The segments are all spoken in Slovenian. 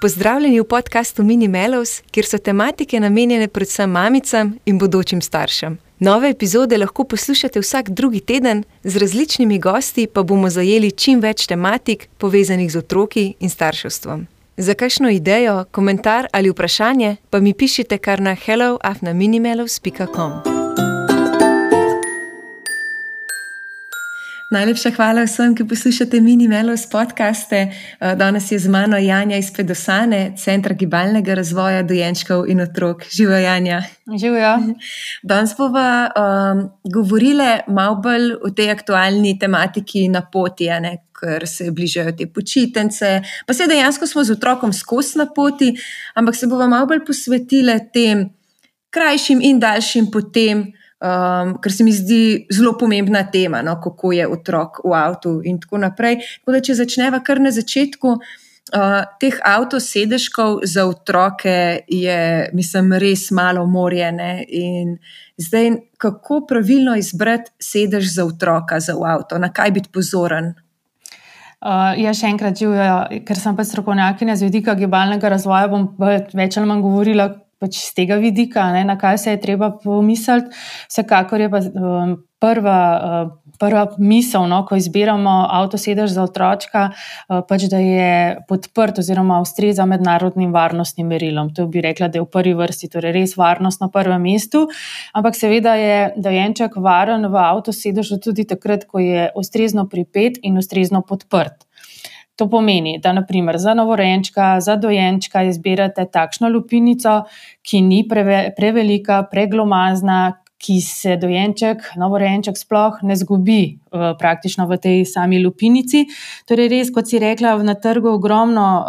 Pozdravljeni v podkastu Mini Melows, kjer so tematike namenjene predvsem mamicam in bodočim staršem. Nove epizode lahko poslušate vsak drugi teden, z različnimi gosti pa bomo zajeli čim več tematik, povezanih z otroki in starševstvom. Za kakšno idejo, komentar ali vprašanje pa mi pišite kar na hello@minimelows.com. Najlepša hvala vsem, ki poslušate Mini Melows podcaste. Danes je z mano Janja iz Pedosane, Centra gibalnega razvoja dojenčkov in otrok. Živijo, Janja. Živijo. Danes bova govorile malo bolj o tej aktualni tematiki na poti, ker se bližajo te počitnice. Pa se dejansko smo z otrokom skozi na poti, ampak se bova malo bolj posvetile tem krajšim in daljšim potem, ker se mi zdi zelo pomembna tema, kako je otrok v avtu in tako naprej. Tako da, če začneva kar na začetku, teh avtosedežkov za otroke je, mislim, res malo morje, in zdaj, kako pravilno izbrati sedež za otroka za v avto, na kaj biti pozoren? Še enkrat živijo, ker sem pa strokovnjakinja z vidika gibalnega razvoja, bom več ali manj govorila z tega vidika, na kaj se je treba pomisliti. Vsekakor je pa prva misel, ko izbiramo avtosedež za otročka, da je podprt oziroma ustreza mednarodnim varnostnim merilom. To bi rekla, da je v prvi vrsti, torej res varnost na prvem mestu, ampak seveda je dojenček varen v avtosedežu tudi takrat, ko je ustrezno pripet in ustrezno podprt. To pomeni, da naprimer za novorojenčka, za dojenčka izbirate takšno lupinico, ki ni prevelika, preglomazna, ki se novorojenček sploh ne zgubi praktično v tej sami lupinici. Torej res, kot si rekla, na trgu ogromno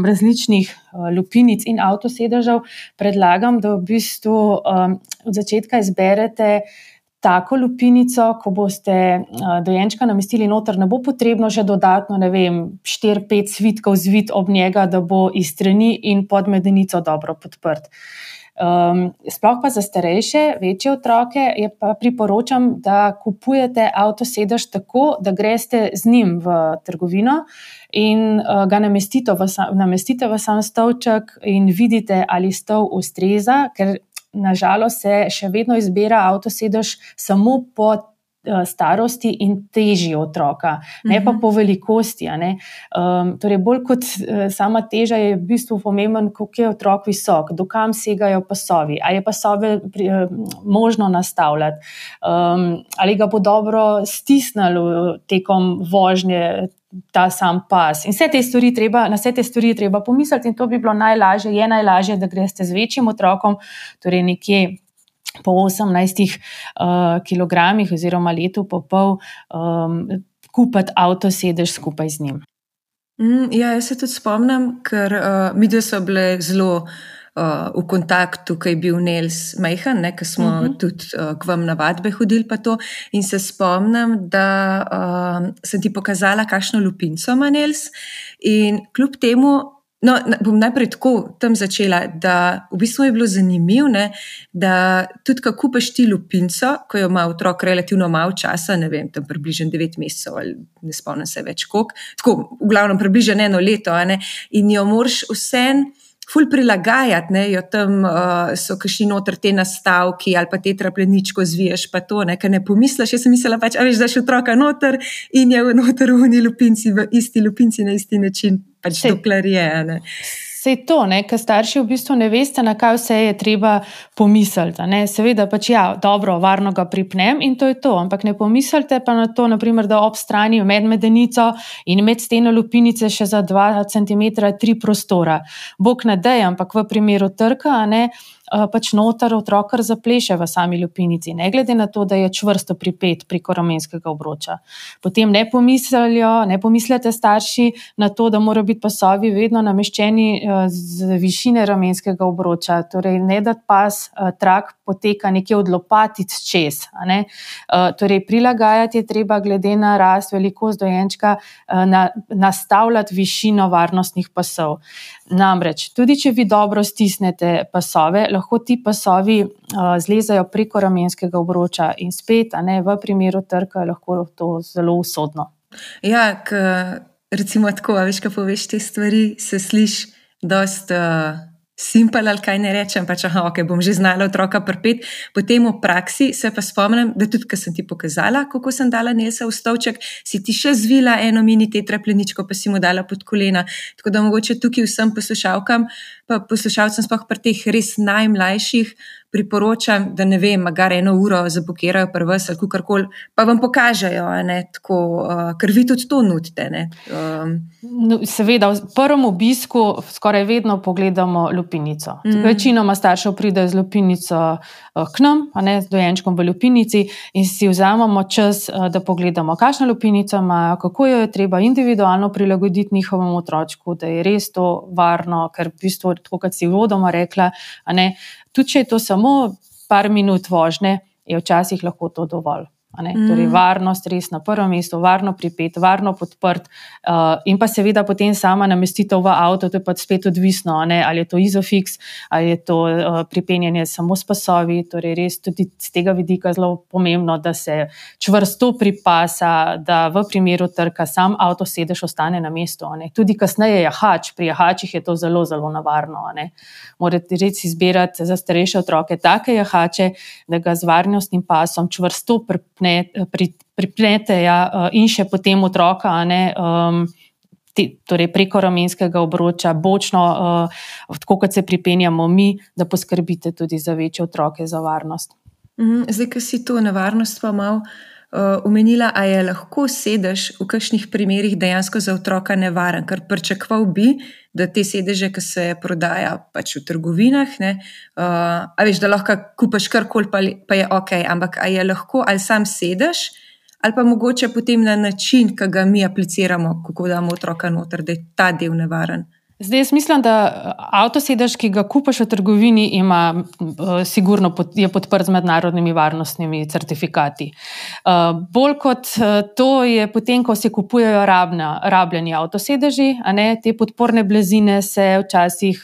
različnih lupinic in avtosedežev. Predlagam, da v bistvu od začetka izberete tako lupinico, ko boste dojenčka namestili noter, ne bo potrebno še dodatno, 4-5 svitkov zvit ob njega, da bo iz strani in pod medenico dobro podprt. Sploh pa za starejše, večje otroke, pa priporočam, da kupujete avtosedež tako, da greste z njim v trgovino in ga namestite v sam stolček in vidite, ali stol ustreza, ker nažalost se še vedno izbira avtosedež samo po starosti in teži otroka, ne pa po velikosti. Torej, bolj kot sama teža je v bistvu pomemben, koliko je otrok visok, do kam segajo pasovi, ali je pasove možno nastavljati, ali ga bo dobro stisnilo tekom vožnje ta sam pas. In na vse te stvari treba pomisliti in to bi bilo najlažje, da greste z večjim otrokom, torej nekje po 18 kilogramih oziroma letu pa pol, kupiti avtosedež skupaj z njim. Jaz se tudi spomnim, ker midve so bile zelo v kontaktu, ko je bil Nels majhen, ko smo tudi k vam na vadbe hodili pa to, in se spomnim, da sem ti pokazala, kakšno lupinco ima Nels, in kljub temu, bom najprej tako tam začela, da v bistvu je bilo zanimivo, da tudi ko kupiš ti lupinco, ko jo ima otrok relativno malo časa, tam približno 9 mesecev ali ne spomnim se več koliko, tako v glavnem približno 1 leto, in jo moraš vseeno ful prilagajati, jo tam so kakšni noter te nastavki ali pa te trapleničko zviješ pa to, ker ne pomisliš. Jaz sem mislila daš otroka noter in je noter v lupinci, v isti lupinci na isti način, dokler je. Sej to, ker starši v bistvu ne veste, na kaj vse je treba pomisliti. Seveda dobro, varno ga pripnem in to je to, ampak ne pomislite pa na to, naprimer, da ob strani med medenico in med steno lupinice še za 2 centimetra 3 prostora. Bog ne daj, ampak v primeru trka, noter otrok kar zapleše v sami lupinici, ne glede na to, da je čvrsto pripet preko ramenskega obroča. Potem ne pomislite starši na to, da morajo biti pasovi vedno nameščeni z višine ramenskega obroča, torej ne da pas trak poteka nekje od lopatic čez. Torej prilagajati je treba glede na rast, velikost dojenčka, nastavljati višino varnostnih pasov. Namreč, tudi če vi dobro stisnete pasove, lahko ti pasovi zlezajo preko ramenskega obroča in spet, v primeru trka je lahko to zelo usodno. Ja, recimo tako, veš, ko poveš te stvari, se sliši dost simpel, ali kaj ne rečem, pač ok, bom že znala otroka pripeti. Potem v praksi se pa spomnim, da tudi, ko sem ti pokazala, kako sem dala Nelsa v stolček, si ti še zvila eno mini tetrapleničko, pa si mu dala pod kolena. Tako da mogoče tukaj vsem poslušalkam, pa poslušalcem sploh pri teh res najmlajših priporočam, da ne vem, magar 1 uro zapokirajo pri vas ali kakorkoli, pa vam pokažejo, tako, ker vi tudi to nudite. No, seveda, v prvem obisku skoraj vedno pogledamo lupinico. Večinoma staršev pridejo z lupinico k nam, z dojenčkom v lupinici in si vzamemo čas, da pogledamo, kakšno lupinico imajo, kako jo je treba individualno prilagoditi njihovemu otročku, da je res to varno, ker v bistvu, tako kot si uvodoma rekla, tudi če je to samo par minut vožnje, je včasih lahko to dovolj. Torej, varnost res na prvem mestu, varno pripet, varno podprt in pa seveda potem sama namestitev v avto, to je pa spet odvisno, ali je to Isofix, ali je to pripenjanje samo s pasovi, torej res tudi z tega vidika zelo pomembno, da se čvrsto pripasa, da v primeru trka sam avtosedež ostane na mestu. Tudi kasneje jahač, pri jahačih je to zelo, zelo nevarno. Morate res izbirati za starejše otroke take jahače, da ga z varnostnim pasom čvrsto pripnete in še potem otroka, torej preko ramenskega obroča, bočno, tako kot se pripenjamo mi, da poskrbite tudi za večje otroke, za varnost. Zdaj, ko si to nevarnost pa malo omenila, a je lahko sedež v kakšnih primerih dejansko za otroka nevaren, ker pričakoval bi, da te sedeže, ki se prodaja pač v trgovinah, a veš, da lahko kupaš karkoli, pa je ok, ampak a je lahko ali sam sedež, ali pa mogoče potem na način, ki ga mi apliciramo, kako damo otroka noter, da je ta del nevaren. Zdaj, jaz mislim, da avtosedež, ki ga kupaš v trgovini, sigurno je podprt z mednarodnimi varnostnimi certifikati. Bolj kot to je potem, ko se kupujejo rabljeni avtosedeži, te podporne blazine se včasih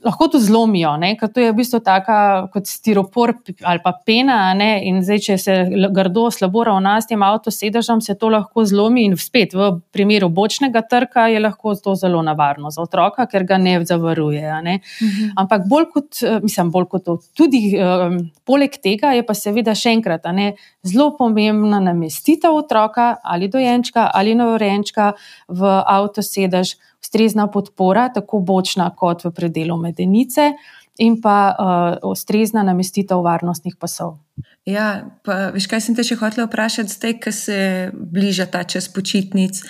lahko to zlomijo, ker to je v bistvu taka kot stiropor ali pa pena, in zdaj, če se grdo slabo ravna s tem avtosedežem, se to lahko zlomi in spet v primeru bočnega trka je lahko to zelo nevarno za otroka, ker ga ne zavaruje. Ampak bolj kot to, tudi poleg tega je pa seveda še enkrat zelo pomembna namestitev otroka ali dojenčka ali novorojenčka v avtosedež, ustrezna podpora, tako bočna kot v predelu medenice in pa ustrezna namestitev varnostnih pasov. Ja, pa veš, kaj sem te še hotela vprašati zdaj, ko se bliža ta čas počitnic,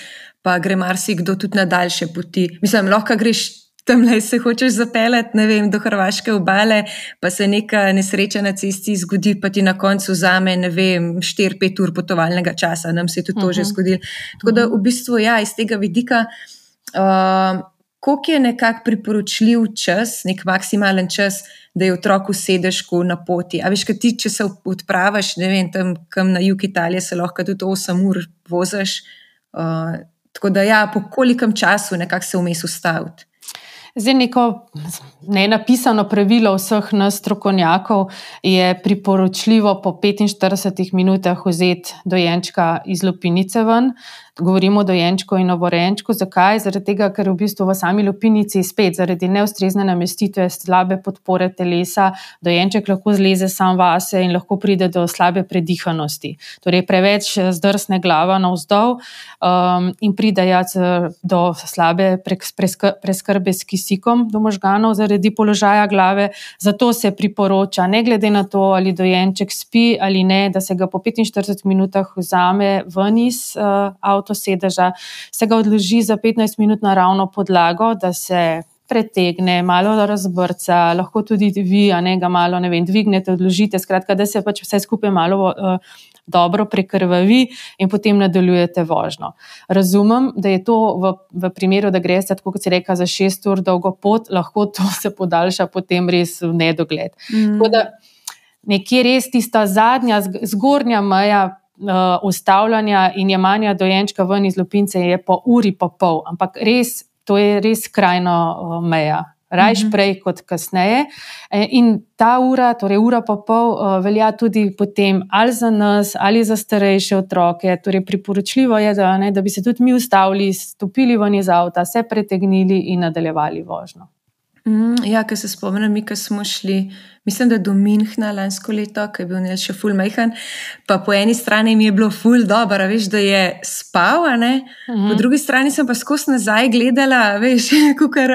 pa gre marsikdo tudi na daljše poti. Mislim, lahko greš tamle, se hočeš zapeljati, ne vem, do hrvaške obale, pa se neka nesreča na cesti zgodi, pa ti na koncu vzame, ne vem, 4-5 ur potovalnega časa, nam se je tudi to že zgodilo. Tako da v bistvu, ja, iz tega vidika, koliko je nekako priporočljiv čas, nek maksimalen čas, da je otrok v sedežku na poti. A veš, kaj ti, če se odpravaš, ne vem, tam kam na jug Italije, se lahko tudi 8 ur vozaš. Tako da ja, po kolikem času nekako se vmes ustaviti. Zdaj, neko nenapisano pravilo vseh nas strokovnjakov je priporočljivo po 45 minutah vzeti dojenčka iz lupinice ven. Govorimo o dojenčku in novorojenčku. Zakaj? Zaradi tega, ker v bistvu v sami lupinici spet zaradi neustrezne namestitve, slabe podpore telesa, dojenček lahko zleze sam vase in lahko pride do slabe predihanosti. Torej preveč zdrsne glava navzdol in pride do slabe preskrbe s kisikom do možganov zaradi položaja glave. Zato se priporoča, ne glede na to, ali dojenček spi ali ne, da se ga po 45 minutah vzame ven iz avtosedeža, se ga odloži za 15 minut na ravno podlago, da se pretegne, malo razbrca, lahko tudi vi, ga malo, ne vem, dvignete, odložite, skratka, da se pač vse skupaj malo dobro prekrvavi in potem nadaljujete vožnjo. Razumem, da je to v primeru, da greste, tako kot si rekla, za 6 ur dolgo pot, lahko to se podaljša potem res v nedogled. Tako da nekje res tista zadnja, zgornja meja ustavljanja in jemanja dojenčka ven iz lupince je po uri pa pol, ampak res, to je res skrajno meja, rajš prej kot kasneje. In ta ura, torej ura pa pol, velja tudi potem ali za nas, ali za starejše otroke. Torej priporočljivo je, da bi se tudi mi ustavili, stopili ven iz avta, se pretegnili in nadaljevali vožnjo. Ja, ker se spomnim, mi, ko smo šli, mislim, da do Münchna lansko leto, ko je bil Nel še ful majhen, pa po eni strani mi je bilo ful dobro, veš, da je spal, po drugi strani sem pa skozi nazaj gledala, veš,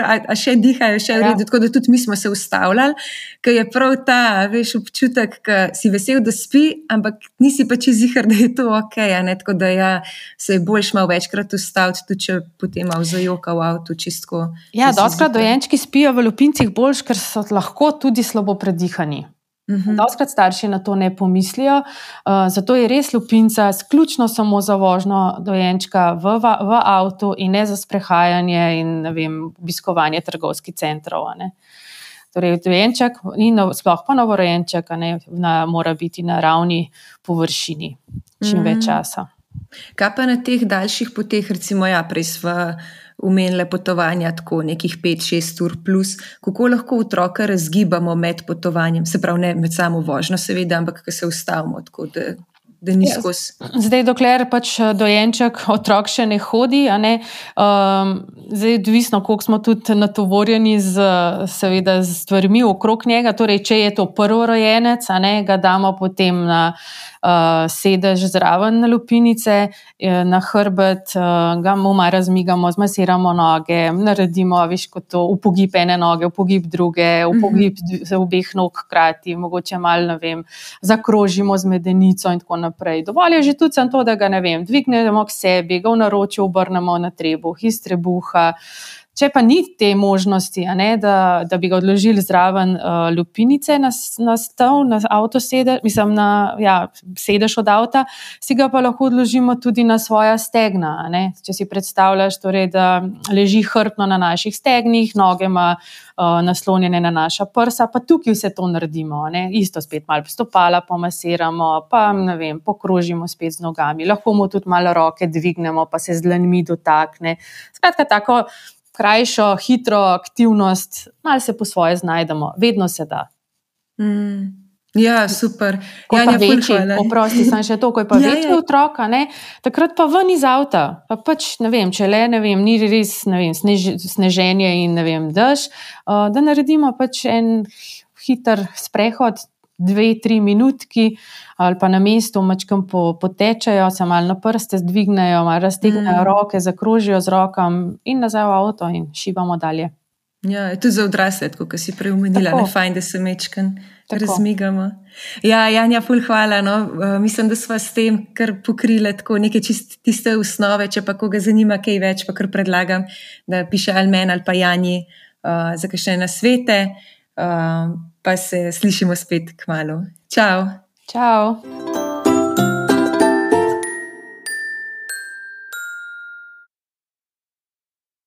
a še dihajo, še v redu, tako da tudi mi smo se ustavljali, ker je prav ta, veš, občutek, ko si vesel, da spi, ampak nisi pa čisto ziher, da je to okej, tako da ja, se je boljš malo večkrat ustaviti, tudi če potem malo zajoka v avtu, čistko. Ja, dostikrat dojenčki spijo v lupincih boljš, ker so lahko tudi slabo predihani. Dostikrat starši na to ne pomislijo, zato je res lupinca sključno samo za vožnjo dojenčka v avtu in ne za sprehajanje in obiskovanje trgovskih centrov. Torej, dojenček in sploh pa novorojenček mora biti na ravni površini čim več časa. Kaj pa na teh daljših poteh, recimo prej sva omenile potovanja tako nekih 5-6 ur plus, kako lahko otroka razgibamo med potovanjem, se pravi ne med samo vožnjo seveda, ampak ko se ustavimo, tako da ni skozi. Zdaj, dokler pač dojenček, otrok še ne hodi, zdaj odvisno, koliko smo tudi natovorjeni seveda z stvarmi okrog njega, torej če je to prvorojenec, ga damo potem na sedež zraven na lupinice, na hrbet, ga mu malo razmigamo, zmasiramo noge, naredimo, kot to, upogib ene noge, upogib druge, upogib obeh nog hkrati, mogoče malo, zakrožimo z medenico in tako naprej. Dovolj je že tudi to, da ga, dvignemo k sebi, ga v naročju obrnemo na trebuh, iz trebuha. Če pa ni te možnosti, da bi ga odložili zraven lupinice na stol, na avtosedež, sedež od avta, si ga pa lahko odložimo tudi na svoja stegna. Če si predstavljaš, torej, da leži hrbtno na naših stegnih, noge ima naslonjene na naša prsa, pa tukaj vse to naredimo. Isto spet malo stopala pomasiramo, pa pokrožimo spet z nogami. Lahko mu tudi malo roke dvignemo, pa se z dlanmi dotakne. Skratka, tako krajšo, hitro aktivnost, malo se po svoje znajdemo, vedno se da. Ja, super. Ko pa večji, oprosti, sem še to, ko je pa večji otrok, takrat pa ven iz avta, pa pač, če le, ni res, sneženje in, dež, da naredimo pač en hiter sprehod, 2-3 minutki, ali pa na mestu mačkam potečajo, se malo na prste dvignejo, malo raztegnejo roke, zakrožijo z rokam in nazaj v avto in šibamo dalje. Ja, tudi za odrasle, kot si prej omenila, fajn, da se mečkan razmigamo. Ja, Janja, ful hvala, mislim, da sva s tem kar pokrila tako neke tiste osnove, če pa koga zanima kaj več, pa kar predlagam, da piše ali meni ali pa Janji za kakšne nasvete. Pa se slišimo spet kmalu. Čau. Čau.